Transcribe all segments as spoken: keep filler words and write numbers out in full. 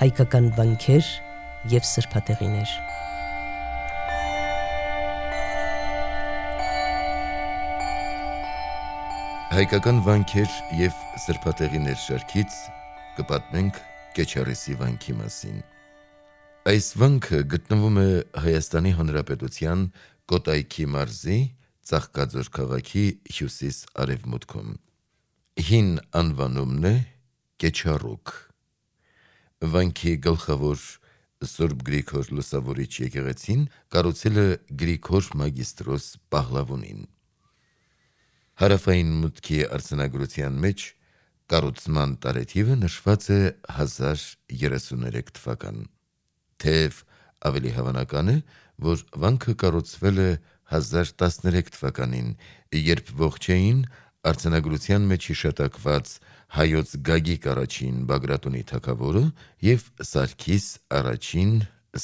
հայկական վանքեր և սրբատեղիներ։ Հայկական վանքեր և սրբատեղիներ շարքից կպատմենք Կեչարիսի վանքի մասին։ Այս վանքը գտնվում է Հայաստանի Հանրապետության Կոտայքի մարզի Ծաղկաձոր քաղաքի հյուսիս-արևմուտքում։ Հին անվանումն է Կեչառուկ։ Վանքի գլխավոր Սուրբ Գրիգոր Լուսավորիչ եկեղեցին կառուցել է Գրիգոր Մագիստրոս Պահլավոնին։ Հարավային մուտքի արձանագրության մեջ կառուցման տարեթիվը նշված է հազար երեսուներեք թվական, թեև ավելի հավանական է, որ վանքը կառուցվել է հազար տասներեք թվականին, երբ ողջ էին արձանագրության մեջ հիշատակված Հայոց Գագիկ առաջին Բագրատունի թագավորը և Սարգիս առաջին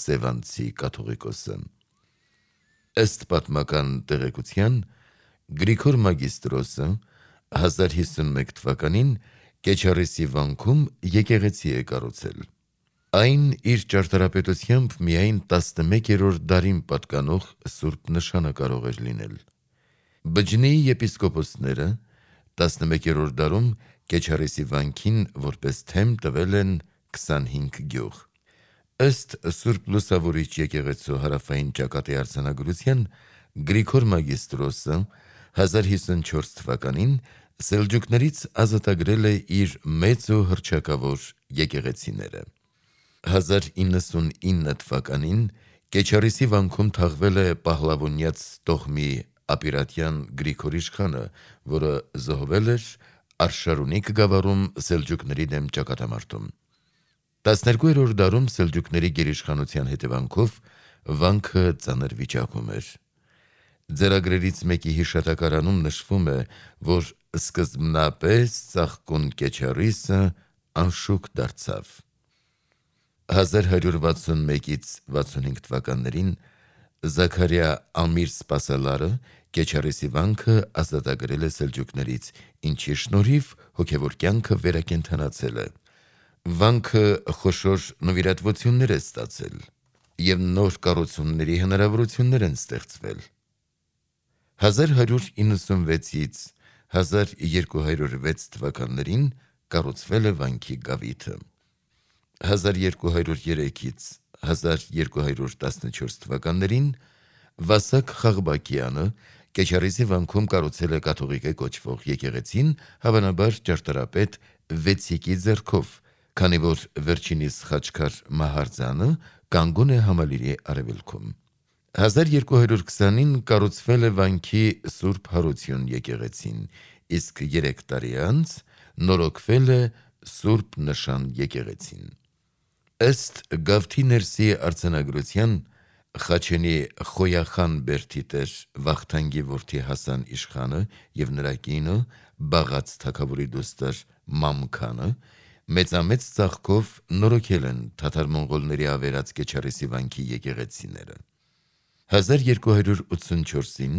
Սևանցի կաթողիկոսը։ Ըստ պատմական տեղեկության, Գրիգոր Մագիստրոսը հազար հիսունմեկ թվականին Կեչարիսի վանքում եկեղեցի է կառուցել։ Այն իր ճարտարապետությամբ միայն տասնմեկերորդ դարին պատկանող սուրբ նշանը կարող էր լինել։ Բջնեի եպիսկոպոսները տասնմեկերորդ դարում Կեչարիսի վանքին որպես թեմ տվել են քսանհինգ գյուղ։ Ըստ Սուրբ Լուսավորիչ եկեղեցու հարավային ճակատի արձանագրության, Գրիգոր Մագիստրոսը հազար հիսունչորս թվականին սելջուկներից ազատագրել է իր մեծ ու հռչակավոր եկեղեցիները։ Հազար իննսունինը թվականին Կեչարիսի վանքում թաղվել է պահլավոնյաց տոհմի ապիրատյան Գրիգոր իշխանը, որը զոհվել էր Արշարունիք գավառում սելջուկների դեմ ճակատամարտում։ տասներկուերորդ դարում սելջուկների գերիշխանության հետևանքով վանքը ծանր վիճակում էր։ Ձեռագրերից մեկի հիշատակարանում նշվում է, որ սկզբնապես ծաղկուն Կեչարիսը անշուք դարձավ։ հազար հարյուր վաթսունմեկից վաթսունհինգ թվականներին Զաքարյա Ամիր Սպասալարը Կեչարիսի վանքը ազատագրել է սելջուկներից, ինչի շնորհիվ հոգևոր կյանքը վերակենդանացել է։ Վանքը խոշոր նվիրատվություններ է ստացել և նոր կառուցումների հնարավորություններ են ստեղծվել։ հազար հարյուր իննսունվեցից հազար երկու հարյուր վեց թվականներին կառուցվել է վանքի գավիթը։ հազար երկու հարյուր երեքից հազար երկու հարյուր տասնչորս թվականներին Վասակ Խաղբակյանը Կեչարիսի վանքում կառուցել է կաթողիկե կոչվող եկեղեցին, հավանաբար ճարտարապետ Վեցիկի ձեռքով, քանի որ վերջինիս խաչքար Մահարձանը կանգուն է Համալիրի արևելքում։ հազար երկու հարյուր քսանին կառուցվել է վանքի Սուրբ Հարություն եկեղեցին, իսկ երեք տարի անց նորոգվել է Սուրբ Նշան եկեղեցին։ Ըստ Գավթի ներսի արձանագրության, Խաչենի Խոյախան բերդի տեր Վախթանգի որդի Հասան իշխանը և նրա կինը Բաղաց թագավորի դուստր Մամքանը մեծամեծ ծաղկով նորոգել են թաթար-մոնղոլների ավերած Կեչարիսի վանքի եկեղեցիները։ հազար երկու հարյուր ութսունչորսին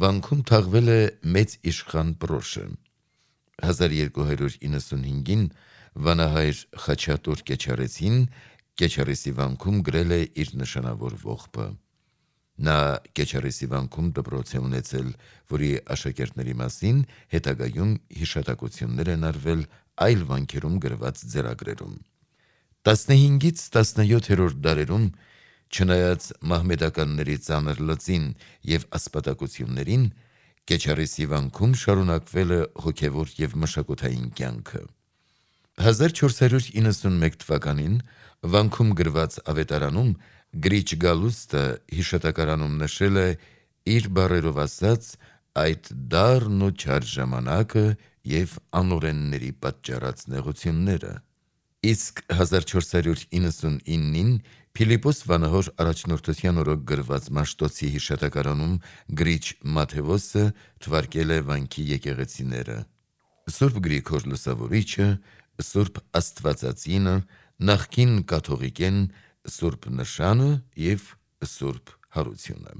վանքում թաղվել է մեծ իշխան Պրոշը։ հազար երկու հարյուր իննսունհինգին վանահայր Խաչատուր Կեչարեցին Կեչարիսի վանքում գրել է իր նշանավոր ողբը։ Նա Կեչարիսի վանքում դպրոց է ունեցել, որի աշակերտների մասին հետագայում հիշատակություններ են արվել այլ վանքերում գրված ձեռագրերում։ տասնհինգից տասնյոթերորդ դարերում, չնայած մահմեդականների ծանր լծին և ասպատակություններին, Կեչարիսի վանքում շարունակվել է հոգևոր և մշակութային կյանքը։ հազար չորս հարյուր իննսունմեկ թվականին վանքում գրված ավետարանում Գրիչ Գալուստը հիշատակարանում նշել է իր բառերով ասած այդ դառն ու չար ժամանակը և անօրենների պատճառած նեղությունները։ Իսկ հազար չորս հարյուր իննսունինին Փիլիպպոս վանահոր առաջնորդության օրոք գրված Մաշտոցի հիշատակարանում Գրիչ Մաթևոսը թվարկել է վանքի եկեղեցիները՝ Սուրբ Գրիգոր Լուսավորիչը, Սուրբ Աստվածածինը, նախկին կաթողիկեն, Սուրբ Նշանը և Սուրբ Հարությունը։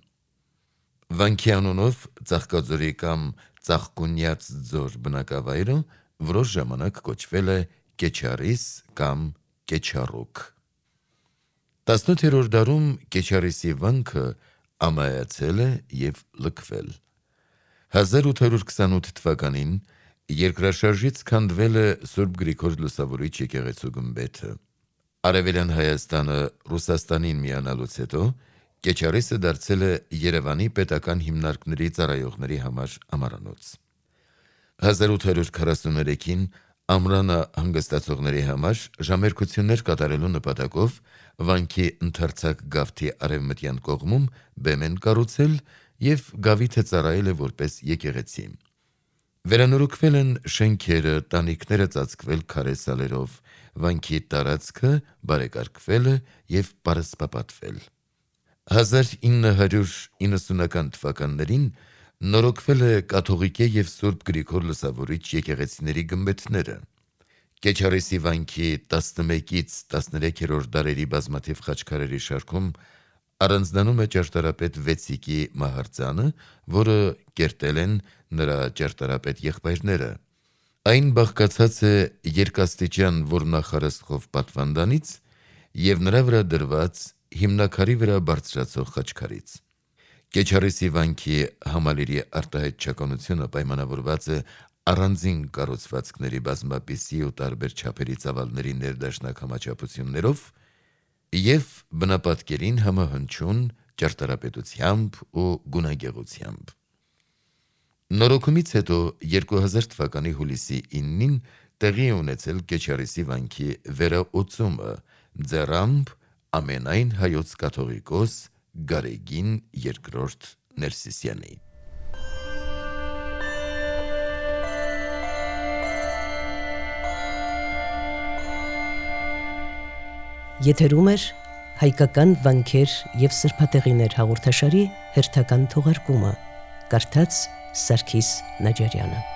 Վանքի անունով Ծաղկաձորի կամ Ծաղկունյաց ձոր բնակավայրը որոշ ժամանակ կոչվել է Կեչարիս կամ Կեչառուկ։ տասնութերորդ դարում Կեչարիսի վանքը ամայացել է և լքվել։ հազար ութ հարյուր քսանութ թվականին երկրաշարժից քանդվել է Սուրբ Գրիգոր Լուսավորիչ եկեղեցու գմբեթը։ Արևելյան Հայաստանը Ռուսաստանին միանալուց հետո Կեչարիսը դարձել է Երևանի պետական հիմնարկների ծառայողների համար ամարանոց։ հազար ութ հարյուր քառասուներեքին ամրանը հանգստացողների համար ժամերկություններ կատարելու նպատակով վանքի ընդարձակ գավթի արևմտյան կողմում բեմ են կառուցել և գավիթը ծառայել է որպես եկեղեցի։ Վերանորոգվել են շենքերը, տանիքները ծածկվել քարե սալերով, վանքի տարածքը բարեկարգվել է և պարսպապատվել։ հազար ինը հարյուր իննսունական թվականներին նորոգվել է կաթողիկե և Սուրբ Գրիգոր Լուսավորիչ եկեղեցիների գմբեթները։ Կեչարիսի վանքի տասնմեկից տասներեքերորդ դարերի բազմաթիվ խաչքարերի շարքում առանձնանում է ճարտարապետ Վեցիկի մահարձանը, որը կերտել են նրա ճարտարապետ եղբայրները։ Այն բաղկացած է երկաստիճան որմնախարսխով պատվանդանից և նրա վրա դրված հիմնաքարի վրա բարձրացող խաչքարից։ Կեչարիսի վանքի համալիրի արտահայտչականությունը պայմանավորված է առանձին կառուցվածքների բազմապիսի ու տարբեր չափերի ծավալների ներդաշնակ համաչափություններով և բնապատկերին համահնչյուն ճարտարապետությամբ ու գունագեղությամբ։ Նորոգումից հետո երկու հազար թվականի հուլիսի իննին տեղի է ունեցել Կեչարիսի վանքի վերաօծումը ձեռամբ ամենայն հայոց կաթողիկոս Գարեգին երկրորդ Ներսիսյանի։ Եթերում էր հայկական վանքեր և սրբատեղիներ հաղորդաշարի հերթական թողարկումը, կարդաց Սարգիս Նաջարյանը։